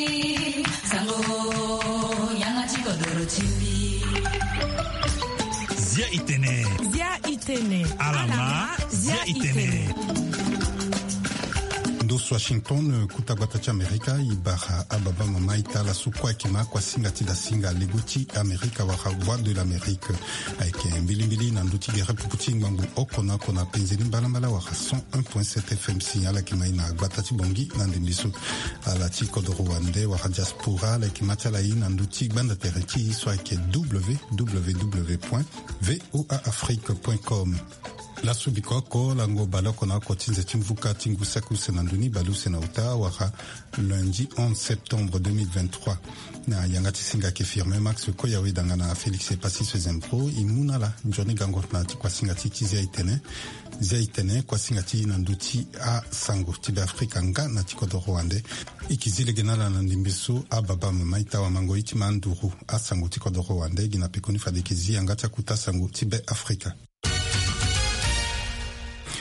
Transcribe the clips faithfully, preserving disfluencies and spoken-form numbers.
Sango, yanga ti kodoro ti mbi. Zia itene. Zia itene. Alama, zia itene. Ndo so Washington, kuta gbata ti Amerika, i bara ababa mama ita ala so kue ayeke ma kuasinga ti dasinga lego ti Amerika wala Voix de l'Amérique. Ayeke mbilimbili na ndö ti gere pupu ti ngbangbo oko na oko na penze ni mbalambala wala cent un point sept F M si ala yeke ma e na gbata ti Bangui na ndembe so. Ala ti kodoro wande wala diaspora ala yeke ma ti ala e na ndö ti gbanda tere ti e so ayeke W W W point V O A Afrique point com. Laso biko oko lango baleoko na oko ti nze ti mvuka ti ngu saki use na ndö ni baleuse na uta wala lundi onze septembre deux mille vingt-trois. Na yanga ti singa ayeke Firmin Max Koyawe danga na Félix Epassi Sezempro, e mu na ala nzoni gango na ti kuasinga ti e ti Zia itene. Zia itene, kuasinga ti e na ndö ti asango ti Beafrika nga na ti kodoro wande. E yeke zi lege na ala na ndembe so ababa mama ita wamango e ti ma nduru asango ti kodoro wande gi na pekoni fade e yeke zi yanga ti akuta sango ti Beafrika.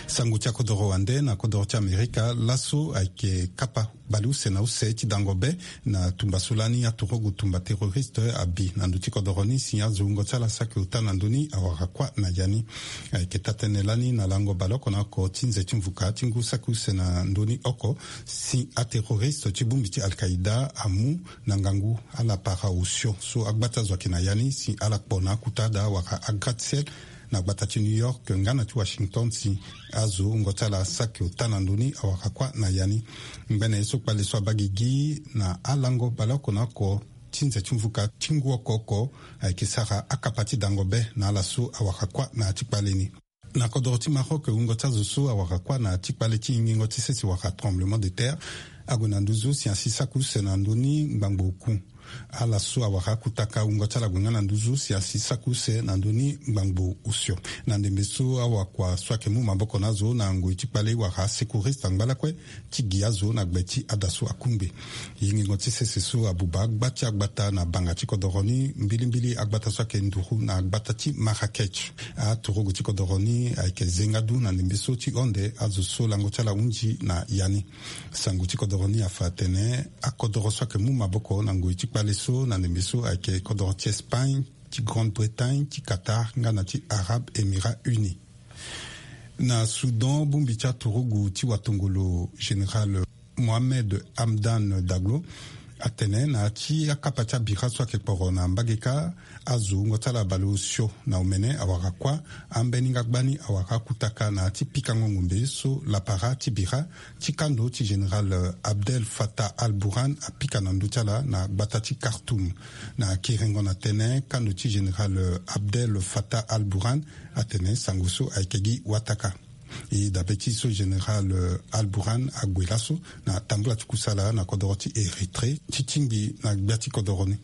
Sango ti akodoro wande na kodoro ti Amerika laso ayeke kapa baleuse na use ti dango be na tumba so lani aturugu tumba terroriste abi na ndö ti kodoro ni si azo wungo ti ala saki ota na ndö ni awara kuâ na ya ni. Ayeke taa-tënë lani na lango baleoko na oko ti nze ti mvuka ti ngu saki use na ndö ni oko si aterroriste ti bongbi ti Al-Qaïda amu na ngangu ala para osio so agbata zo ayeke na ya ni si ala kpo na akuta daa wala agratte-ciel na gbata ti New York nga na ti Washington si azo wungo ti ala saki ota na ndö ni awara kuâ na ya ni. Ngbene ye so kpale so abaa gigi na alango baleoko na oko ti nze ti mvuka ti ngu oko oko ayeke sara akapa ti dango be na ala so awara kuâ na ya ti kpale ni. Na kodoro ti Maroc, wungo ti azo so awara kuâ na ya ti kpale ti yingingo ti sese wala tremblement de terre ague na nduzu si asi saki use na ndö ni ngbangbo oku. Ala so awara akutaka wungo ti ala gue nga na nduzu si asi saki use na ndö ni ngbangbo osio. Na ndembe so awakua so ayeke mu maboko na azo na ngoi ti kpale wala asecouriste angba lakue ti gi azo na gbe ti ada so akungbi. Yingingo ti sese so abuba agba ti agbata na banga ti kodoro ni mbilimbili agbata so ayeke nduru na agbata ti Marrakech. Aturugu ti kodoro ni ayeke zenga du na ndembe so ti honde azo so lango ti ala hunzi na ya ni. Sango ti kodoro ni afa atene akodoro so ayeke mu maboko na ngoi ti kpale so na ndembe so ayeke kodoro ti Espagne, ti Grande-Bretagne, ti Qatar nga na ti Arabes Émirats Unis. Na Soudan, bongbi ti aturugu ti watongolo général Mohamed Hamdan Daglo atene na ya ti akapa ti abira so ayeke kporo na mbage kâ, azo wungo ti ala baleosio na omene awara kuâ, ambeni nga gbani awara akutaka na ya ti pikango ngombe so lapara ti bira ti kando ti général Abdel Fattah al-Burhan apika na ndö ti ala na gbata ti Khartoum. Na kiringo na tënë, kando ti général Abdel Fattah al-Burhan atene sango so ayeke gi wataka. E dabe ti so général, euh, Al-Burhan ague laso na tambula ti kusala na kodoro ti Érythrée ti tingbi na gbia ti kodoro ni.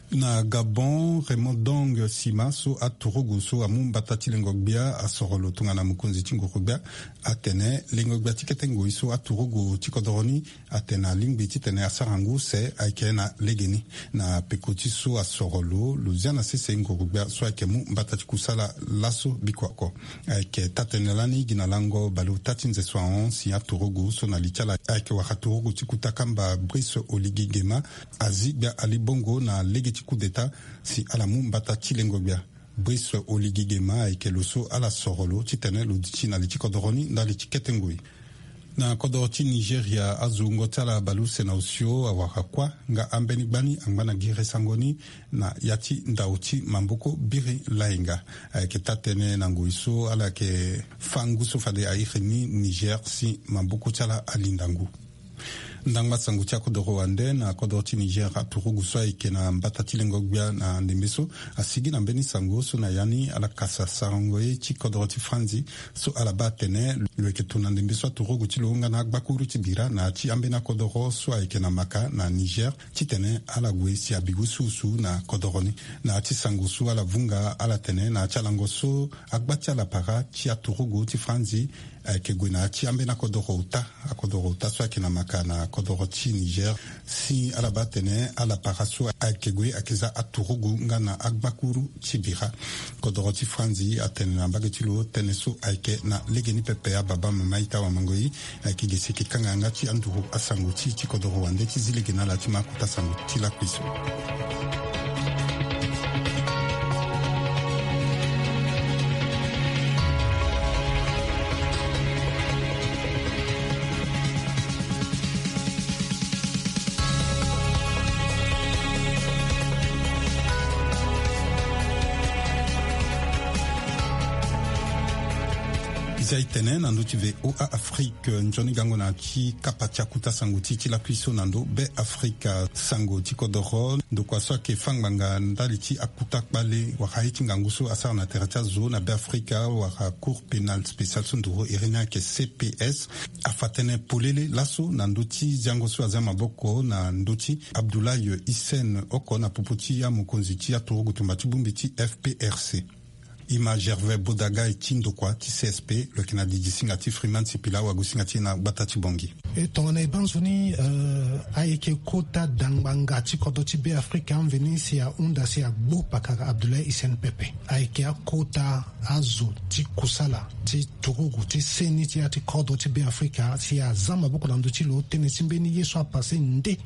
Na Gabon, Raymond Dong Sima so aturugu so amu mbata ti lengo gbia asoro lo tongana mokonzi ti nguru gbia atene lengo gbia ti kete ngoi so aturugu ti kodoro ni atene alingbi titene asara ngu use ayeke na legeni. Na peko ti so asoro lo, lo zia na sese nguru gbia so ayeke mu mbata ti kusala laso biko oko. Ayeke taa-tënë lani gi na lango baleota ti nze so ahon si aturugu so na li ti ala ayeke wara turugu ti kuta kamba Brice Oligui Nguema azi gbia ali bongo na lege ti coup d'État si ala mu mbata ti lengo gbia. Brice Oligui Nguema ayeke lo so ala soro lo titene lo duti na li ti kodoro ni ndali ti kete ngoi. Na kodoro ti Nigeria, azo wungo ti ala baleuse na osio awara kuâ nga ambeni gbani angba na gere sango ni na ya ti ndao ti maboko biri layenga. Ayeke taa-tënë na ngoi so ala yeke fâ ngu so fade airi ni Niger si maboko ti ala alinda ngu. Ndangba sango ti akodoro wande na kodoro ti Niger, aturugu so ayeke na mbata ti lengo gbia na ndembe so asigi na mbeni sango so na ya ni ala kasa sarango ye ti kodoro ti Franzi so ala baa atene lo yeke tona ndembe so aturugu ti lo nga na agbakuru ti bira na ya ti ambeni akodoro so ayeke na Maka na Niger titene ala gue si abi wusuwusu na kodoro ni. Na ya ti sango so ala vunga ala tene na ya ti alango so agba ti ala para ti aturugu ti Franzi Ayeke gue na ya ti ambeni akodoro ota, akodoro ota so ayeke na maka na kodoro ti Niger. Si ala baa atene ala para so ayeke gue ayeke za aturugu nga na agbakuru ti bira. Kodoro ti Franzi atene na mbage ti lo tënë so ayeke na legeni pepe. Ababa mama ita wamango e, ayeke gi si eke kanga yanga ti anduru asango ti ti kodoro wande ti zi lege na ala ti ma akota sango ti lakui so. Eza e tene na ndö ti V O A Afrique, nzoni gango na ti kapa ti akuta sango ti ti lakui so na ndö Be Afrika. Sango ti kodoro ndokua so ayeke fâ ngbanga ndali ti akuta kpale wala ye ti ngangu so asara na tere ti azo na Be Afrika wala Cour pénale spéciale so nduru iri ni ayeke C P S, afa tënë polele laso na ndö ti ziango so azia maboko na ndö ti Abdoulaye Hissène oko na popo ti amokonzi ti aturugu tumba ti bongbi ti F P R C. E ma Gervais Bodagai ti ndokua ti C S P, lo yeke na didi singa ti Freeman Sipila, wagosinga ti e na gbata ti Bangui. E tongana e baa nzoni, eh, ayeke kota dangbanga ti kodro ti Be Afrika amveni si ahunda si agbo pakara Abdoulaye Hissène pepe. Ayeke akota azo ti kusala ti turugu ti seni ti ya ti kodro ti Be Afrika si aza maboko na ndö ti lo tënë ti mbeni ye so apase nde.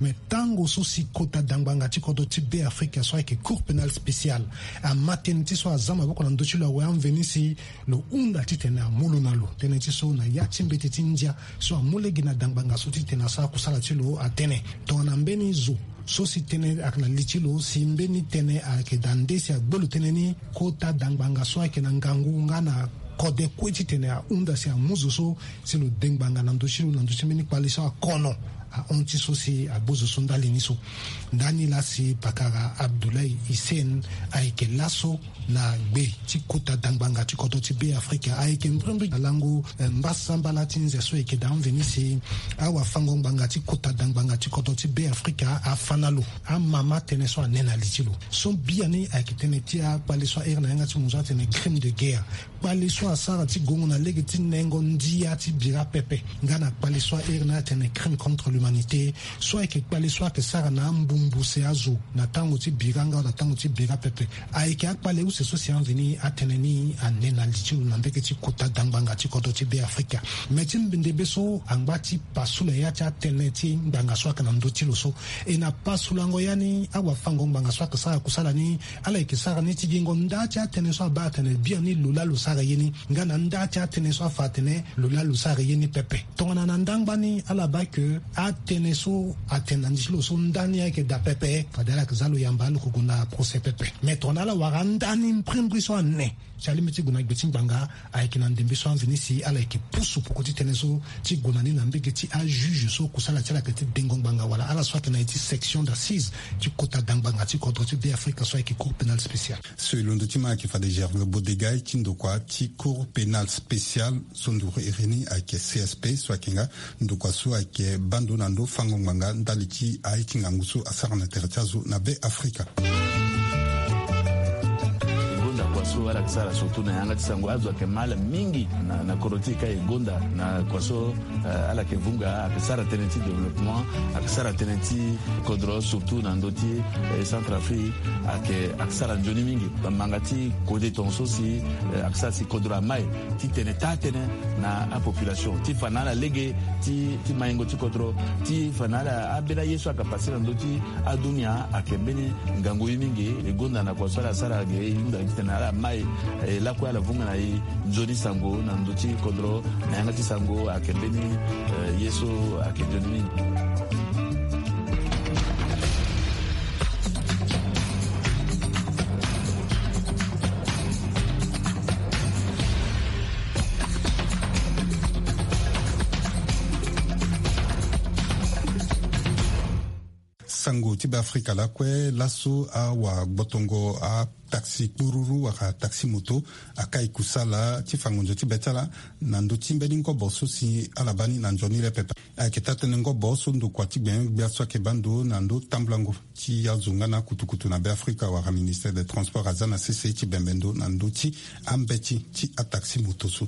Me tango so si kota dangbanga ti kodro ti Be Afrika so ayeke Cour pénale spéciale ama tënë ti so aza maboko na ndö ti lo awe amveni si lo hunda titene amu lo na lo. Tënë ti so na ya ti mbeti ti ndia so amu lege na dangbanga so titene asara kusala ti lo atene tongana mbeni zo so si tënë ayeke na li ti lo si mbeni tënë ayeke daa nde si agbe lo tënë ni kota dangbanga so ayeke na ngangu nga na kode kue titene ahunda si amu zo so si lo de ngbanga na ndö ti lo na ndö ti mbeni kpale so akono ahon ti so si agbo zo so ndali ni so. Ndani laa si pakara Abdoulaye Hissène ayeke laso na gbe ti kota dangbanga ti kodro ti Be Afrika. Ayeke mbrimbri na lango, eh, mbasambala ti nze so eke daa mveni si awafango ngbanga ti kota dangbanga ti kodro ti Be Afrika afa na lo amama tënë so ane na li ti lo. So biani ayeke tënë ti akpale so airi na yanga ti munzu atene crime de guerre. Kpale so asara ti gongo na lege ti nengo ndia ti bira pepe nga na kpale so airi na atene crime contre l'humanité. So ayeke kpale so ayeke sara na ambumbuse azo na tango ti bira nga na tango ti bira pepe. Ayeke akpale use so si amveni atene ni ane na li ti lo na mbege ti kota dangbanga ti kodro ti Be Afrika. Me ti ndembe so angba ti pasula ya ti atene ti ngbanga so ayeke na ndö ti lo so. E na pasulango ya ni awafango ngbanga so ayeke sara kusala ni ala yeke sara ni ti gingo nda ti atënë so abaa atene biani lo laa lo sara ye ni nga na nda ti atënë so afa atene lo laa lo sara ye ni pepe. Tongana na ndangba ni ala baa ke atënë so atene na ndi ti lo so ndani ayeke daa pepe fade ala yeke za lo yamba lo yeke gue na procès pepe. Me tongana ala wara ndani mbrimbri so ane si alingbi ti gue na gbe ti ngbanga ayeke na ndembe so amveni si ala yeke pusu poko ti tënë so ti gue na ni na mbege ti ajuge so kusala ti ala yeke ti dengo ngbanga wala ala so ayeke na ye ti section d'assise ti kota dangbanga ti kodro ti Be Afrika so ayeke Cour pénale spéciale. So e londo ti ma ayeke fade Gervais Bodegai ti ndokua ti Cour pénale spéciale so nduru iri ni ayeke C S P so ayeke nga ndokua so ayeke bando na ndo fango ngbanga ndali ti aye ti ngangu so asara na tere ti azo na Be Afrika. E gonda kua so ala yeke sara surtout na yanga ti sango azo ayeke ma ala mingi na, na kodro ti e ka e gonda na kua so, eh, ala yeke vunga ayeke sara tënë ti développement, ayeke sara tënë ti kodro surtout na ndö ti, eh, Centrafrique ayeke, ayeke sara nzoni mingi. Manga ti kode tongaso si, eh, ayeke sara si kodro amai titene taa tënë na apopulation ti fa na ala lege ti, ti maingo ti kodro ti fa na ala ambeni aye so ayeke pase na ndö ti adunia ayeke mbeni ngangu ye mingi. E gonda na kua so ala sara ge e hunda titene ala mai, eh, lakue ala vunga na e nzoni sango na ndö ti kodro na yanga ti sango ayeke mbeni, eh, ye so ayeke nzoni mingi. Sango ti Be Afrika lakue laso awagbotongo ataxi kpururu wala taxi moto akai kusala ti fa ngonzo ti be ti ala na ndö ti mbeni ngobo so si ala baa ni na nzoni le pepe. Ayeke taa-tënë ngobo so ndokua ti gbengbia so ayeke baa ndo na ndö tambulango ti azo nga na akutukutu na Be Afrika wala ministère des transports aza na sese ti bembe ndo na ndö ti ambeti ti ataxi moto so.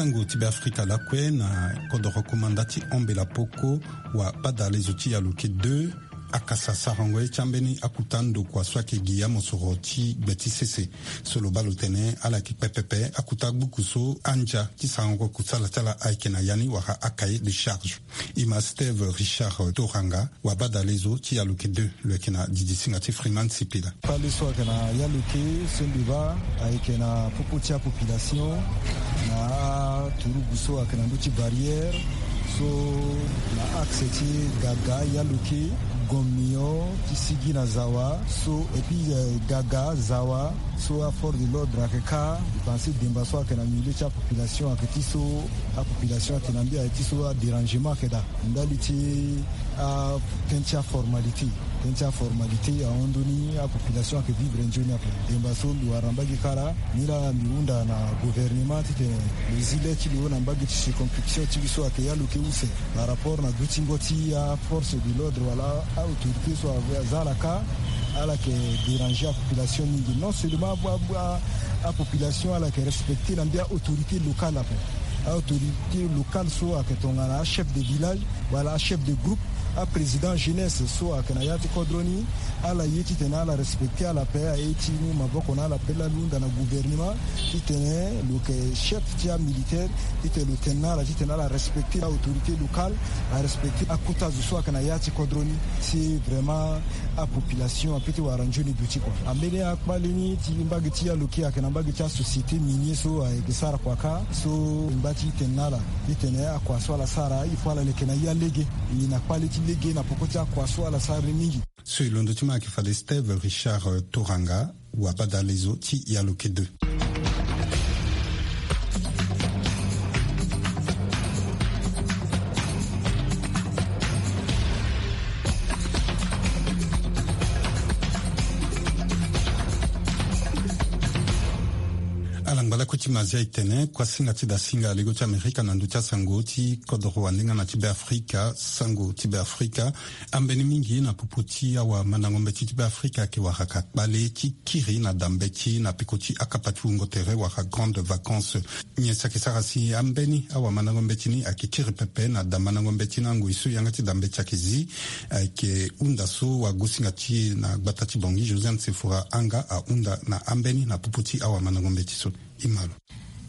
Sango ti Beafrika lakue na kodoro komanda ti Ambela Poko, wa badalezo ti Yaluke deux akasa sarango ye ti ambeni akuta ndokua so ayeke gi amosoro ti gbe ti sese. So lo baa lo tene ala yeke kpe pepe akuta gbuku so andia ti sarango kusala ti ala ayeke na ya ni wala acahier de charge. E ma Steve Richard Toranga, wa badalezo ti Yaluke deux, lo yeke na didisinga ti Freeman Sipila. Kpale so ayeke na Yaluke so mbi baa ayeke na popo ti apopulation na aturugu so ayeke na ndö ti barrière so na axe ti Gaga, Yaluke, Gomion ti sigi na Zawa so, et puis, euh, Gaga, Zawa so aforce de l'ordre ayeke kâ. Mbi pense demba so ayeke na milieu ti apopulation ayeke ti so apopulation ayeke na mbi ayeke ti so adérangement ayeke daa ndali ti a ten ti aformalité. Ten ti aformalité ahon ndoni apopulation ayeke vivre nzoni ape. Demba so mbi wara na mbage kara ni laa mbi hunda na gouvernement titene lo zi le ti lo na mbage ti circonscription ti mbi so ayeke Yaluke use par rapport na dutingo ti aforce de l'ordre wala aautorité so aza ala kâ. Ala yeke déranger apopulation mingi. Non seulement apopulation ala yeke respecter na mbi aautorité locale ape. Aautorité locale so ayeke tongana achef de village wala achef de groupe, aprésident jeunesse so ayeke na ya ti kodro ni, ala ye titene ala respecter ala ape. Aye ti mu maboko na ala ape laa mbi hunda na gouvernement titene lo yeke chef ti amilitaire titene lo tene na ala titene ala respecter aautorité locale, arespecter akota zo so ayeke na ya ti kodro ni. Si vraiment apopulation ape ti wara nzoni duti kua. Ambeni akpale ni ti mbage ti Yaluke ayeke na mbage ti asociété minier so ayeke sara kua kâ. So e ngba ti tene na ala titene akua so ala sara il faut ala leke na ya lege. E na kpale ti lege na poko ti akua so ala sara ni mingi. So e londo ti ma ayeke fade Steve Richard Toranga, wa badalezo ti Yaluke deux. Ala ngba lakue ti mazia e tene kuasinga ti dasinga lego ti Amerika na ndö ti asango ti kodoro wande nga na ti Beafrika. Sango ti Beafrika. Ambeni mingi na popo ti awamandango mbeti ti Beafrika ayeke wara ka kpale ti kiri na da mbeti na peko ti akapa ti wungo tere wala grande vacance. Nyen si ayeke sara si ambeni awamandango mbeti ni ayeke kiri pepe na da mandango mbeti na ngoi so yanga ti da mbeti ayeke zi? Ayeke hunda so wagosinga ti e na gbata ti Bangui, Josiane Sefora Anga, ahunda na ambeni na popo ti awamandango mbeti so. E ma lo.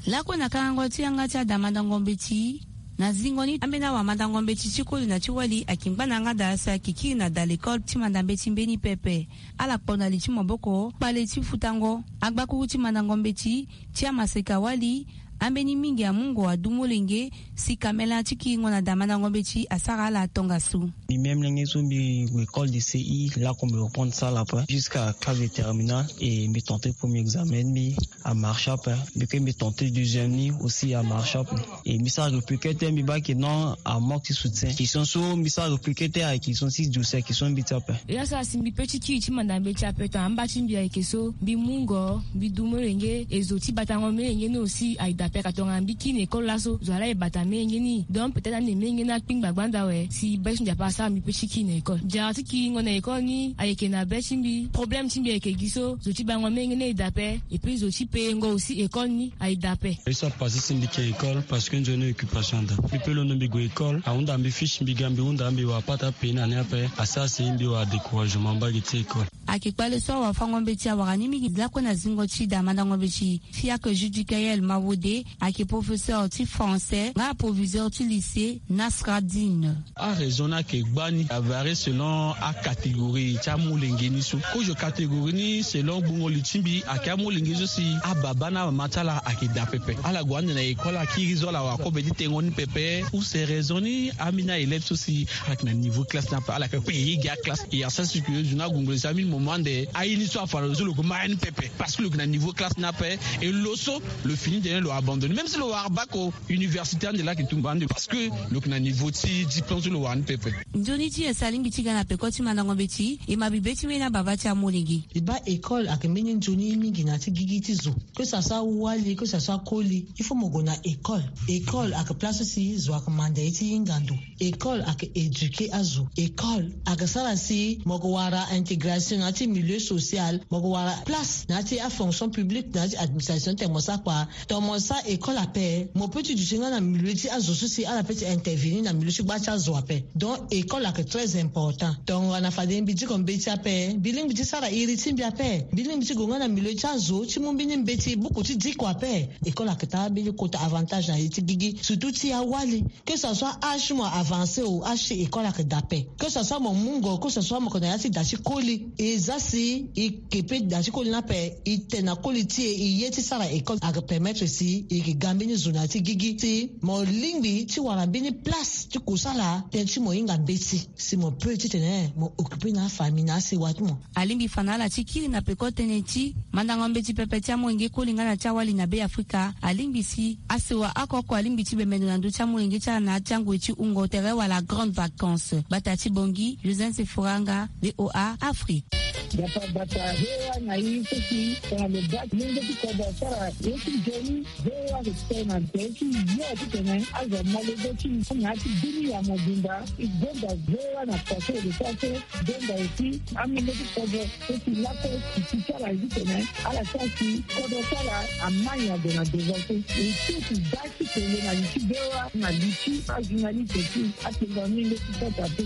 Lakue na kangango ti yanga ti adamandango mbeti, na zingo ni ambeni awamandango mbeti ti koli na ti wali ayeke ngba na yanga daa si ayeke kiri na da lekole ti manda mbeti mbeni pepe. Ala kpo na li ti maboko kpale ti futango agbakuru ti mandango mbeti ti amaseka wali. Ambeni mingi amungo adu molenge si kamela ti kiringo na damandango mbeti asara ala tongaso. Mbi même lenge so mbi gue école de C I, là qu'on me reprend ça là après jusqu'à classe de terminale et mbi tenter premier examen mbi amarche ape. Mbi ke mbi tenter deuxième ni aussi amarche ape. Et mbi sara répliquer te mbi baa ke non, amanque ti soutien. Question so mbi sara répliquer te ayeke question ti dossier, question mbi ti ape. E asara si mbi pe ti kiri ti manda mbeti ape tongana amba ti mbi ayeke so mbi mungo mbi du molenge e zo ti batango molenge ni aussi aye dape ka tongana mbi kiri na école laso zo ala e bata molenge ni. Donc peut-être ande molenge ni akpingba gbanda awe si be ti mbi ape asara mbi pe ti kiri na école. Diara ti kiringo na école ni ayeke na be ti mbi. Problème ti mbi ayeke gi so zo ti bango molenge ni aye dape. Et puis zo ti payengo aussi école ni aye dape. Ye so apase si mbi ke école parce que nzoni occupation ada. Mbi pe londo mbi gue école ahunda mbi fiche mbi ga mbi hunda mbi wara pata payé na ni ape asara si mbi wara découragement mbage ti école. Ayeke kpale so awafango mbeti awara ni mingi lakue na zingo ti damandango mbeti. Fiacre Judicaël Mawode ayeke professeur ti français nga proviseur ti lycée Nasradine. Araison ni ayeke gbani avarie selon acatégorie ti amolenge ni so kozo catégorie ni selon gbungo li ti mbi ayeke amolenge so si ababa na amama ti ala ayeke daa pepe. Ala gue ande na école akiri so ala wara kobe ti tengo ni pepe. Use raison ni ambeni aélève so si ayeke na niveau classe ni ape ala yeke kue e ye gi aclasse e asara si ke zo ni agungo li si ambeni moment ande aye ni so afa na lo so lo gue ma ya ni pepe parce que lo yeke na niveau classe ni ape. E lo so lo fini tene lo abandonné même si lo wara bac o université ande laa ayeke tumba ande parce que lo yeke na niveau ti diplôme so lo wara ni pepe. Nzoni ti e si alingbi ti ga na peko ti mandango mbeti e ma bibe ti mbeni ababa ti amolenge. E baa école ayeke mbeni nzoni mingi na ya ti gigi ti zo. Que ça soit wali que ça soit koli il faut mo gue na école. École ayeke place so si zo ayeke manda ye ti hinga ndo. École ayeke éduquer azo. École ayeke sara si mo yeke wara intégration na ya ti milieu social. Mo yeke wara place na ya ti afonction publique na ya ti administration ti tene mo sara kua. Tongana mo sara École ape mo peut ti duti nga na milieu ti azo so si ala peut ti intervenir na milieu ti gba ti azo ape. Donc école ayeke très important. Tongana fade mbi diko mbeti ape, mbi lingbi ti sara iri ti mbi ape. Mbi lingbi ti gue nga na milieu ti azo ti mu mbeni mbeti buku ti diko ape. École ayeke taa mbeni kota avantage na ye ti gigi, surtout ti awali. Que ça soit âge ti mo avancé ou âge ti école ayeke daa ape. Que ça soit mo mungo, que ça soit mo yeke na ya ti da ti koli, e za si e ke pe da ti koli ni ape, e tene na koli ti e, e ye ti sara école ayeke permettre si e yeke ga mbeni zo na ya ti gigi. Si mo lingbi ti wara mbeni place ti kusala, tënë ti mo hinga mbeti si mo peut titene mo occuper na afamille na asewa ti mo. Alingbi fa na ala ti kiri na peko tënë ti mandango mbeti pepe ti amolenge koli nga na ti awali na Be Afrika. Alingbi si asewa oko oko alingbi ti bembe ndo na ndö ti amolenge ti ala na ya ti angoi ti hungo tere wala grande vacance. Gbata ti Bangui, Joseph Sefuranga, V O A Afrique. Gbata gbata V O A na ye so si tongana lo baa ti lenge ti kodro asara ye ti nzoni. V O A ayeke tene na tere ti yo titene azo amolenge ti na ya ti bini ya mobimba. E gonda V O A na tere ti lo so. Donda aussi amolenge ti kodro so si lakue si ti ala ye titene ala sara si kodro ti ala amai ade na devant so. E ti si da ti tene na li ti V O A na li ti ajournaliste ti atene na amolenge ti kodro ape.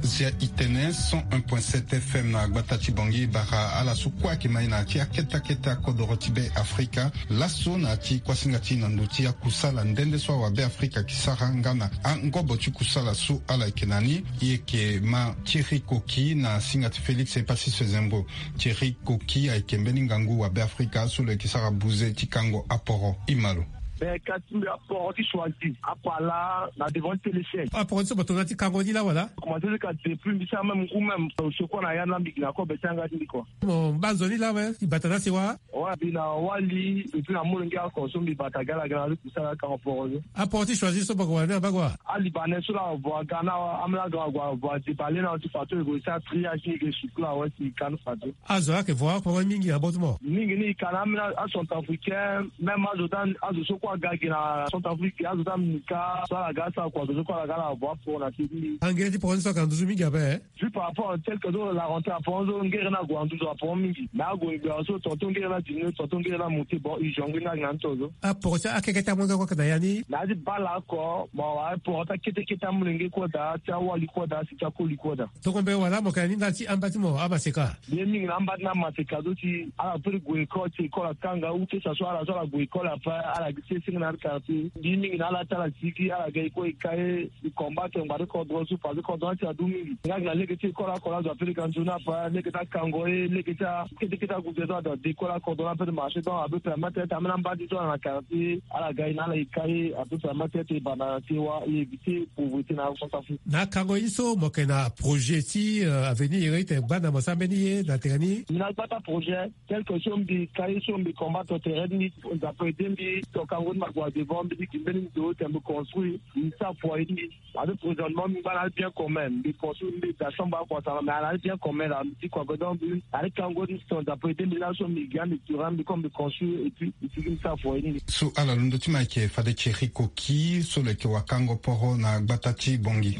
Zia i tene cent un point sept F M na gbata ti Bangui, bara ala so kue ayeke mai na ya ti akete akete akodoro ti Be Afrika. Laso na ya ti kuasinga ti na ndö ti akusala nde nde so awa Be Afrika ayeke sara nga na angobo ti kusala so ala yeke na ni. E yeke ma Thierry Koki na singa ti Félix Epassis Sezembro. Thierry Koki ayeke mbeni ngangu wa Be Afrika so lo yeke sara buze ti kango aporo. E ma lo. Me kasi mbi aporo ti choisi apala na devant ti téléchaîne. Aporo ti so mo tongana ti kango ni laa wala? Commencé ti ka depuis mbi sara même ngu même, euh, secours na ya na mbi gi na kobe ti yanga ti mbi kua. Mo baa nzoni laa awe, i bata na asewa? Ouais, mbi na wali et puis na molenge oko so mbi bata gi ala gi na ala ti kusala ti kango poro so. Aporo ti choisi so mo yeke wara ni na mbage wa? Alibanais so laa avo aga na amolenge avo avo adebale na ti fadeso e gue ti sara triage ni e ke suku laa awe si e ka ni fadeso. Azo ayeke vo oko mingi na bot ti mo? Mingi ni e ka na ambeni acentrafricain, même azo ti azo so kue aga gi na Centrafrique, azo ti amika so ala ga asara kua, azo so kue ala ga ala avo aporo na ti ni. Angere ti poro ni so ayeke na nduzu mingi ape? Vu par rapport tel que so la rentrée aporo so ngere ni ague na nduzu aporo mingi. Mais ague ngbia so tonton ngere ni adiminué, tonton ngere ni amonté, bon e jongler ni agi na ni to so. Aporo ti akeke ti amolenge kue ayeke na ya ni? Na ya ti bale oko mo wara aporo ti akete kete amolenge kue daa, ti awali kue daa, si ti akoli kue daa. Tongombe wala mo yeke na ni ndali ti amba ti mo amaseka? Mbi ye mingi na amba ti ni amaseka so si ala peut ti gue école, si école akanga ou que ça soit ala so ala gue école ape ala gi ti senge na ya ti quartier. Mbi ye mingi na ala ti ala sigi ala ga e kue e ka e. E combattre ngbanga ti kodro so parce que kodro ni ti adu mingi. Nga gi na lege ti école oko laa azo ape lege anzoni ape, lege ti akango ye, lege ti akete kete agude so ada de école akodro ni ape ti marché, donc ape permettre ti ambeni amba ti so ala na quartier ala ga e na ala e ka e, ape permettre ti e banda na sewa e éviter pauvreté na Centrafrique. Na akango ye ni so mo yeke na projet ti, euh, avenir, iri ti gbanda mo sara mbeni ye na tere ni? Mbi na gbata projet. Tel que so mbi ka ye so mbi combattre tere ti mbi, Nzapa aidé mbi, to kango ni ma gue na devant, mbi ti gi mbeni ndo ti mbi construire, mbi sara foyer ti mbi. Parce que présentement mbi ngba na bien commun, mbi construire mbi da chambre oko asara, mais na bien commun laa mbi ti kua, donc mbi na ti kango ni, to Nzapa aidé mbi laso mbi ga mbi tura mbi comme mbi construire et puis mbi ti gi mbi sara foyer ti mbi. So ala londo ti mo ayeke fade Thierry Koki so lo yeke wakango poro na gbata ti Bangui.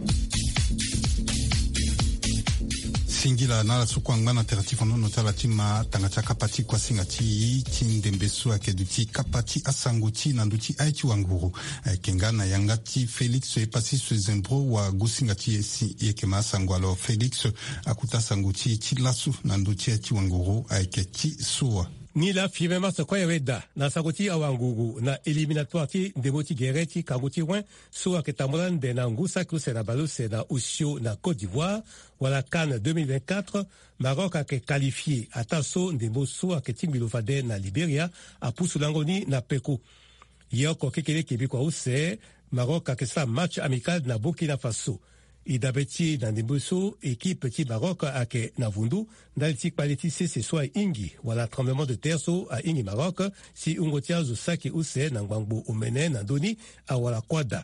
Singila na ala so kue angba na tere ti fandono ti ala ti ma tanga ti akapa ti kuasinga ti e ti ndembe so ayeke duti kapa ti asango ti e na ndö ti aye ti wanguru. Ayeke nga na yanga ti Félix Epassis Sezembro wa gosinga ti e si e yeke ma asango. Alors Félix, akota asango ti e ti laso na ndö ti aye ti wanguru ayeke ti so wa? Nilaa firme mars kue awe daa na sango ti awanguru na éliminatoire ti ndembo ti gere ti kango ti wen so ayeke tambula ande na ngu saki use na bale use na osio na Côte d'Ivoire, wala CAN deux mille vingt-quatre, Maroc ayeke qualifié ataa so ndembo so ayeke tingbi lo fade na Libéria apusu lango ni na peko. Ye oko kekeleke bikua use, Maroc ayeke sara match amical na Burkina Faso. E dabe ti e na ndembo so équipe ti Maroc ayeke na vundu ndali ti kpale ti sese so ahingi wala tremblement de terre so ahingi Maroc, si hungo ti azo saki use na ngbangbo omene na ndö ni awara kuâ daa.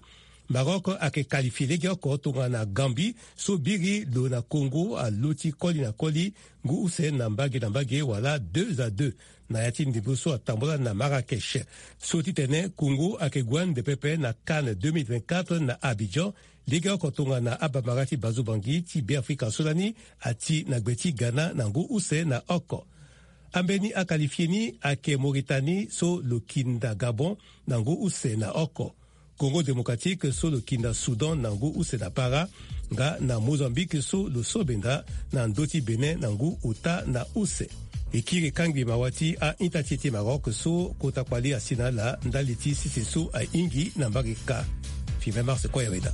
Maroc ayeke qualifié legeoko tongana Gambie so biri lo na Congo alo ti koli na koli ngu use na mbage na mbage wala deux à deux na ya ti ndembo so atambula na Marrakech. So titene Congo ayeke gue ande pepe na CAN deux mille vingt-quatre na Abidjan, legeoko tongana abambara ti Bazo Bangui ti Beafrika so lani ati na gbe ti Ghana na ngu use na oko. Ambeni akalifie ni ayeke Mauritanie so lo kinda Gabon na ngu use na oko, Congo Démocratique so lo kinda Soudan na ngu use na para, nga na Mozambique so lo so benda na ndö ti Bénin na ngu ota na use. E kiri kangbi mawa ti a-ita ti e ti Maroc so kota kpali asi na ala ndali ti sese so ahingi na mbage kâ. Firmin Mars Koyaweda.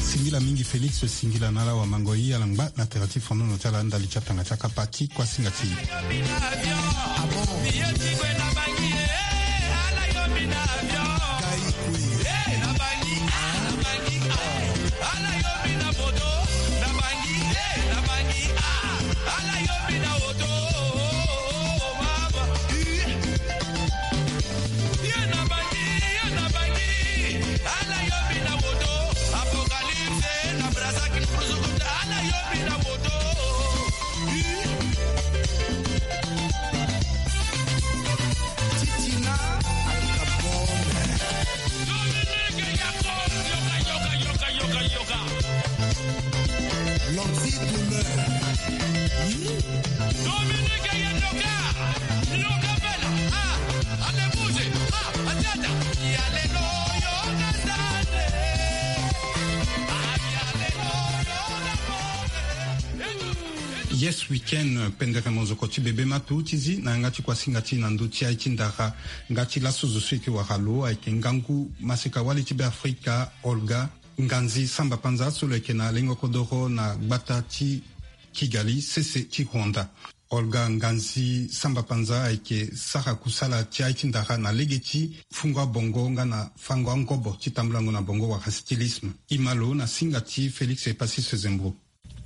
Singila mingi Félix, singila na ala wamangoi, ala ngba na tere ti fonono ti ala ndali ti atanga ti akapa ti kuasinga ti e. Yes Weekend, pendere mozoko ti bebe matu ti zi na yanga ti kuasinga ti na ndö ti aye ti ndara. Nga ti laso zo so eke wara lo ayeke ngangu maseka wali ti Beafrika, Olga Nganzi Samba Panza so lo yeke na lengo kodoro na gbata ti Kigali, sese ti Rwanda. Olga Nganzi Samba Panza ayeke sara kusala ti aye ti ndara na lege ti fungo abongo nga na fango angobo ti tambulango na bongo wala stylisme. E ma lo na singa ti Félix Epasis Zembro.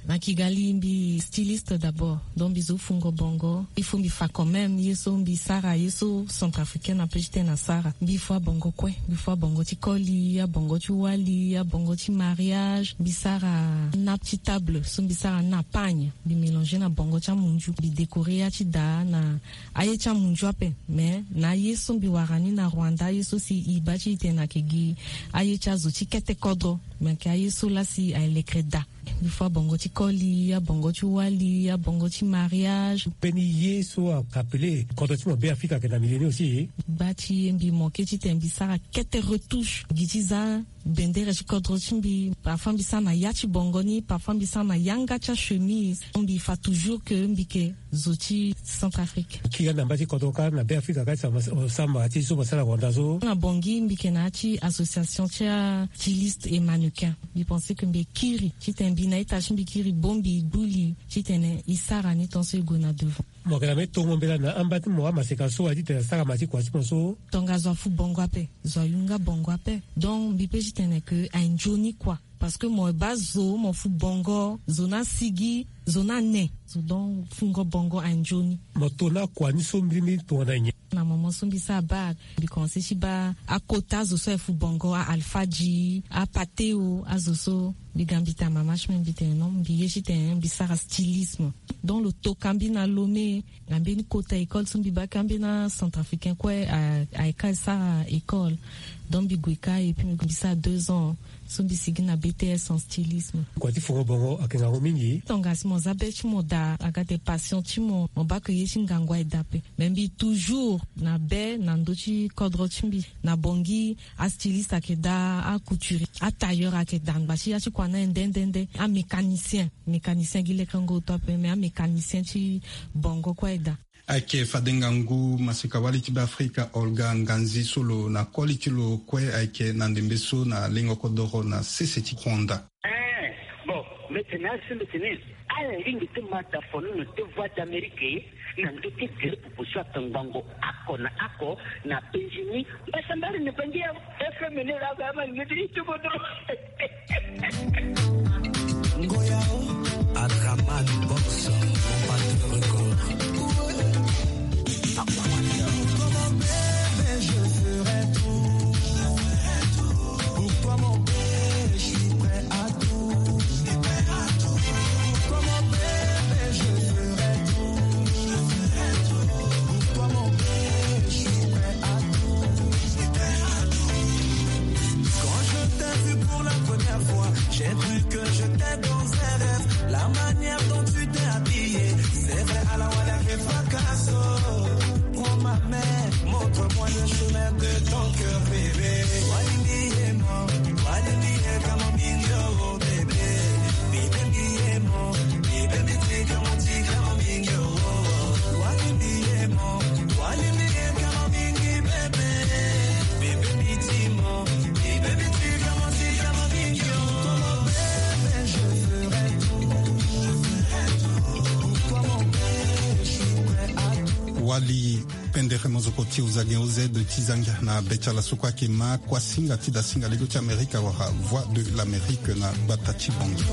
Na Kigali mbi styliste d'abord, donc mbi zo fungo bongo. Il faut mbi fa quand même ye so mbi sara, ye so centrafricaine ape ti tene asara. Mbi fua bongo kue, mbi fua bongo ti koli, abongo ti wali, abongo ti mariage. Mbi sara nappe ti table so mbi sara na pagne, mbi mélanger na bongo ti amunzu, mbi décorer ya ti daa na aye ti amunzu ape. Mais na aye so mbi wara ni na Rwanda, aye so si e baa ti e tene ayeke gi aye ti azo ti kete kodro, me ayeke aye so laa si alekere daa. Mbi fua bongo ti koli, abongo ti wali, abongo ti mariage. Mbeni ye so a-rappeler kodro ti mo Beafrika ayeke na milieu ni aussi. Gba ti ye mbi manquer ti tene mbi sara kete retouche gi ti za bendere ti kodro ti mbi. Parfois mbi sara na ya ti bongo ni, parfois mbi sara na yanga ti achemise. Mbi fa toujours que mbi yeke zo ti Centrafrique. Kiri na mba ti kodro kâ na Beafrika kâ ti sama ti so mo sara Rwanda so. Na Bangui mbi yeke na ya ti association ti astyliste et mannequin. Mbi pense que mbi kiri ti tene mbi na ita ti mbi kiri bongbi gbu li ti tene e sara ni tant so e gue na devant. Mo yeke na mbeni tongo mbela na amba ti mo amaseka so aye ti tene asara ma ti kua ti mo so. Tongaso afu bongo ape, zo ayunga bongo ape. Donc mbi pe ti tene que aye nzoni kua. Parce que mo baa zo mo fu bongo, zo ni asigi, zo ni ane. Zo donc fungo bongo aye nzoni. Mo to na kua ni so mbirimbiri tongana nyen? Na moment so mbi sara bac, mbi commencer ti baa akota azo so aye fu bongo, a-Alpha G, a-Pateo, azo so. Mbi ga mbi tene mama ti mbi, mbi tene non, mbi ye ti tene mbi sara stylisme. Donc lo toka mbi na Lomé. Na mbeni kota école so mbi baa ka mbeni acentrafricain kue a, ayeke sara école. Donc mbi gue ka et puis mbi sara deux ans so mbi sigi na B T S en stylisme. Kua ti fungo bongo ayeke ngangu mingi. Tongana si mo za be ti mo daa, aga de passion ti mo, mo baa ke ye ti ngangu aye daa ape. Mais mbi toujours na be na ndö ti kodro ti mbi. Na Bangui astyliste ayeke daa, acouturier, atailleur ayeke daa, ngba ti ya ti kua ni aye nde nde nde. Amécanicien, mécanicien gi lekengo oto ape, mais amécanicien ti bongo kue aye daa. Ayeke fade ngangu maseka wali ti Beafrika Olga Nganzi so lo na koli ti lo kue ayeke na ndembe so na lengo kodoro na sese ti Rwanda. Eh, bon, mbi tene asi mbi tene ala lingbi ti ma dafonono ti Voix d'Amérique na ndö ti gere pupu so atongbango oko na oko na Benjini. Mbasambari na Bangi ya F M ni la ga ma ni ti tubo dro. Ngoya o. Adraman Box, Combatteur Record. Pour toi, mon bébé, je ferai tout. Pour toi, mon bébé, je suis prêt à tout. Pour toi, mon bébé, je ferai tout. Pour toi, mon bébé, je suis prêt à tout. Quand je t'ai vu pour la première fois, j'ai cru que je t'ai Pendere mozoko ti ozage oz ti zangia na be ti ala so kue ayeke ma kuasinga ti dasinga lego ti amerika wala voix de l'amérique na gbata ti bongi.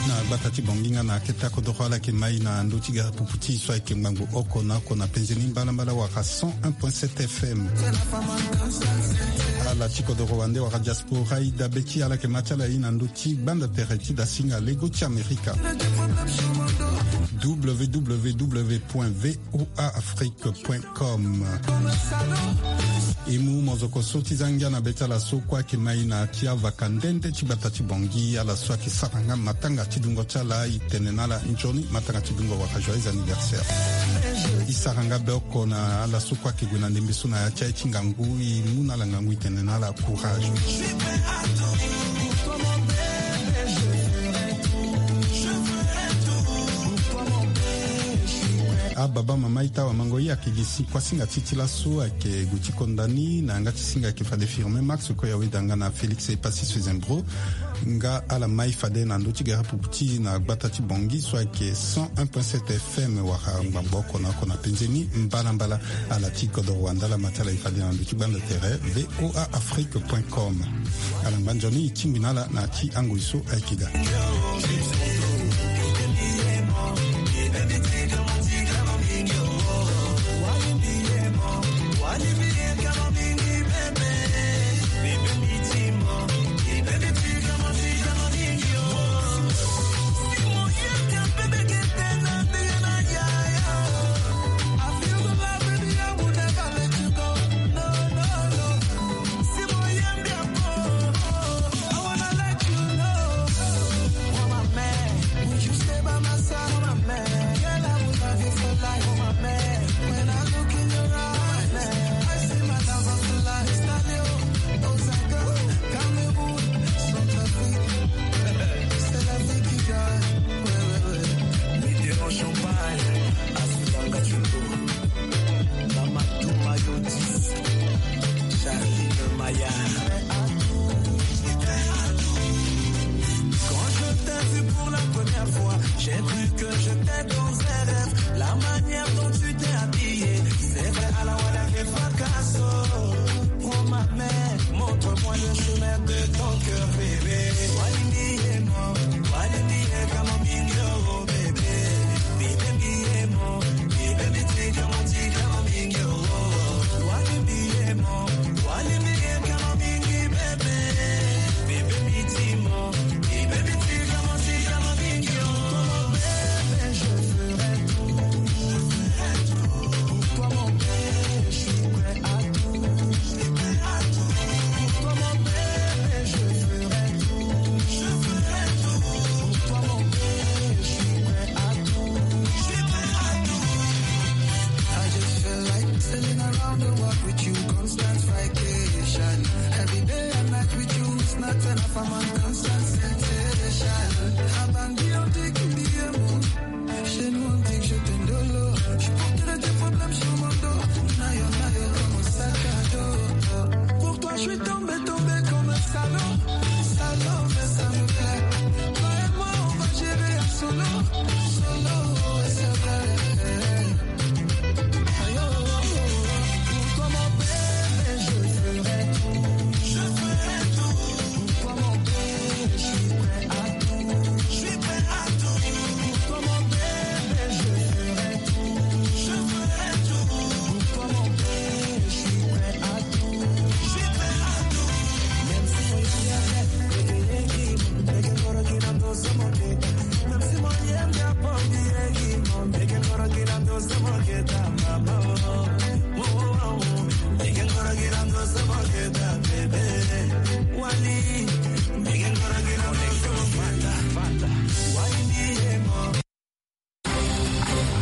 Na gbata ti bongi nga na akete akodoro ala yeke mai na ndö ti garapupu ti so ayeke ngbangbo oko na oko na penze ni mbalambala wala cent un point sept fm. Ala ti kodoro wande wala diaspora e dabe ti ala yeke ma ti ala ye na ndö ti gbanda tere ti dasinga lego ti amerika. W W W point V O A Afrique point com. E mu mozoko so ti zangia na be ti ala so kue ayeke mai na ti avaka nde nde ti gbata ti bongi ala so ayeke sara nga matanga ti dungo ti ala e tene na ala nzoni matanga ti dungo wala joyeux anniversaire. E sara nga be oko na ala so kue ayeke gue na ndembe so na ya ti aye ti ngangu e mu na ala ngangu e tene na ala courage. Ababa mama ita wamango ye ayeke gi si kuasinga ti ti laso ayeke gue ti konda ni na yanga ti singa ayeke fade firme max koya weda nga na félix epassis fezembro. Nga ala mai fade na ndö ti garapupu ti na gbata ti bongi so ayeke cent un point sept fm wala ngbangbo oko na oko na penze ni mbalambala. Ala ti kodoro wanda ala ma ti ala e fade na ndö ti gbanda tere V O A Afrique point com. Ala ngba nzoni e tingbi na ala na ti angoi so ayeke ga. Mama Toumayotis, Charline Maya. Quand je t'ai vu pour la première fois, j'ai cru que j'étais dans un rêve. La manière dont tu t'es habillée, c'est vrai, à la wala fracasso. Prends ma main, montre-moi le chemin de ton cœur, bébé. Walimbi emo, walimbi e kamo mingio. I just feel like sailing around the world with you, constant vacation. Every day and night with you is not enough, I'm on constant sensation. Abandi, on dit qu'il me aime. Chez nous, on dit que je t'aime de l'eau. Je porterai tes problèmes sur mon dos. Nayo, nayo, comme un sac à dos. Pour toi, je suis tombé, tombé comme un salaud. Salaud, mais ça me plaît. Toi et moi, on va gérer à solo. Solo, et c'est vrai.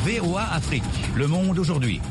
V O A Afrique, le monde aujourd'hui.